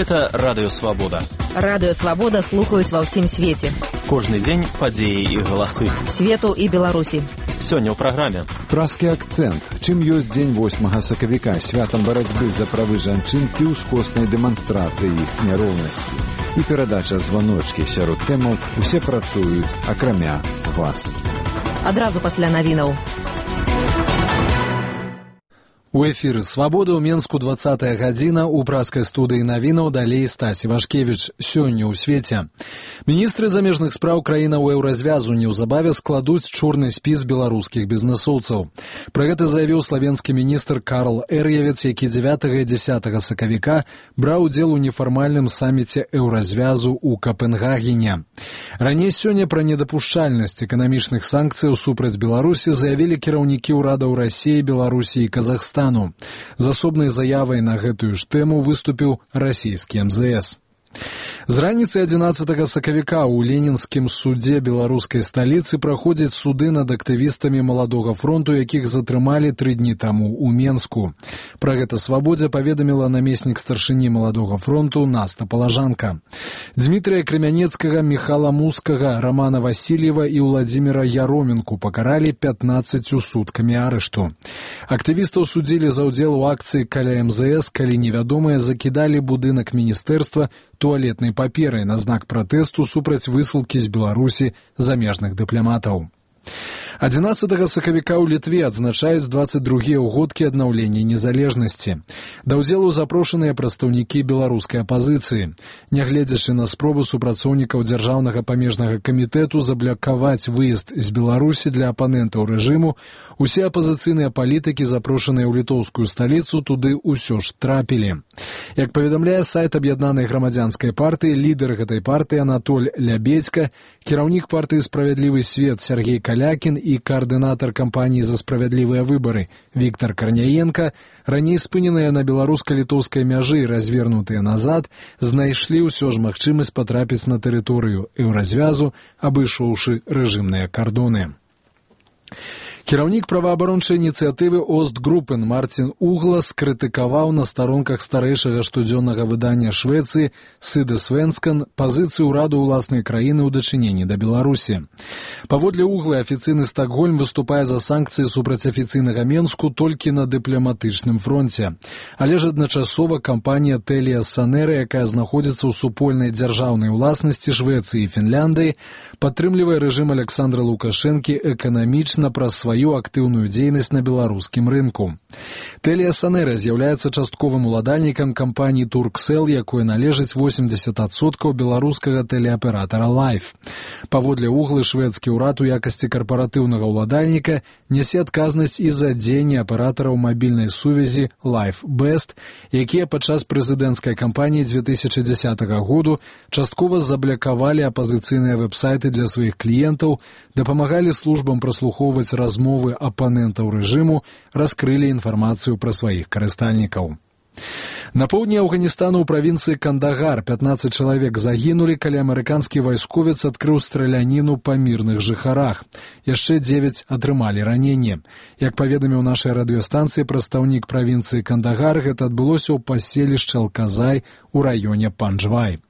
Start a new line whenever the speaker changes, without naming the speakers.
Гэта Радыё Свабода.
Радыё Свабода слухаюць ва ўсім свеце.
Кожны дзень падзеі і галасы.
Свету і Беларусі.
Сёння ў праграме.
Празкі акцэнт. Чым ёсць дзень 8 сакавіка, святам барацьбы за правы жанчын ці ўскоснай дэманстрацыі іх няроўнасці. І перадача званочкі сярод тэмаў «Усе працуюць, акрамя вас».
Адразу пасля навінаў.
У эфіры «Свабода» ў Менску 20-я гадзіна, у празкай студыі навінаў далей Стась Івашкевіч. Сёння ў свеце. Міністры замежных спраў краінаў еўразвязу неўзабаве складуць чорны спіс беларускіх бізнэсоўцаў. Пра гэта заявіў славенскі міністр Карл Эр'явец, які 9 і 10 сакавіка браў удзел у нефармальным саміце еўразвязу ў Капенгагене. Раней сёння пра недапушчальнасць эканамічных санкцыяў супраць Беларусі заявілі кіраўнікі ўрадаў Расіі, Беларусі і Казахстана. З асобнай заявай на гэтую ж тэму выступіў расійскі МЗС. З раніцы 11 сакавіка ў Ленінскім судзе беларускай сталіцы праходзяць суды над актывістамі Маладога фронту, якіх затрымалі 3 дні таму ў Менску. Пра гэта «Свабодзе» паведаміла намеснік старшыні Маладога фронту Наста Палажанка. Дмітрия Кремянецкага, Михала Мускага, Романа Васильева і Владзіміра Яроменку пакаралі 15 суткамі арышту. Актывістаў судзілі за ўдзел у акцыі каля МЗС, калі невядомыя закідалі будынак міністэрства туалетнай паперай на знак пратэсту супраць высылкі з Беларусі замежных дыпламатаў. 11 сакавіка ў Літве адзначаюць 22-е ўгодкі аднаўлення незалежнасці. Да ўдзелу запрошаныя прадстаўнікі беларускай апазіцыі. Нягледзячы на спробу супрацоўнікаў дзяржаўнага памежнага камітэту заблакаваць выезд з Беларусі для апанентаў рэжыму, усе апазіцыйныя палітыкі, запрошаныя ў літоўскую сталіцу, туды ўсё ж трапілі. Як паведамляе сайт аб'яднанай грамадзянскай партыі, лідар гэтай партыі Анатоль Лябедзька, кіраўнік партыі «Справядлівы свет» Сергей Калякін і каардынатар кампаніі «За справядлівыя выбары» Віктор Карняенка, раней спыненыя на беларуска-літоўскай мяжы і развернутыя назад, знайшлі ўсё ж магчымасць патрапіць на тэрыторыю еўразвязу, абышоўшы рэжымныя кардоны. Кіраўнік праваабарончай ініцыятывы Остгруппен Мартин Углас крытыкаваў на старонках старэйшага штодзённага выдання Швецыі «Сыде Свенскан» пазіцыю ўраду ўласнай краіны ў дачыненні да Беларусі. Паводле Углы, афіцыйны Стокгольм выступае за санкцыі супраць афіцыйнага Менску толькі на дыпламатычным фронце. Але ж адначасова кампанія Телія Сонера, якая знаходзіцца ў супольнай дзяржаўнай уласнасці Швецыі і Фінляндыі, падтрымлівае рэжым Александра Лукашэнкі эканамічна праз сваю актыўную дзейнасць на беларускім рынку. Телія Сонера з'яўляецца частковым уладальнікам кампаніі Турксел, якой належыць 80% беларускага тэлеаператара Life. Паводле Углы, шведскі ўрад у якасці карпаратыўнага ўладальніка нясе адказнасць і за дзеянні аператараў мабільнай сувязі Life Best, якія падчас прэзідэнцкай кампаніі 2010 году часткова заблакавалі апазіцыйныя вэб-сайты для сваіх кліентаў, дапамагалі службам праслухоўваць размовы апанентаў рэжыму, раскрылі інфармацыю пра сваіх карыстальнікаў. На поўдні Афганістану ў правінцыі Кандагар 15 чалавек загінулі, калі амерыканскі вайсковец адкрыў страляніну па мірных жыхарах. Яшчэ 9 атрымалі раненне. Як паведаміў нашай радыёстанцыі прадстаўнік правінцыі Кандагар, гэта адбылося ў паселішчы Алказай у раёне Панджвай.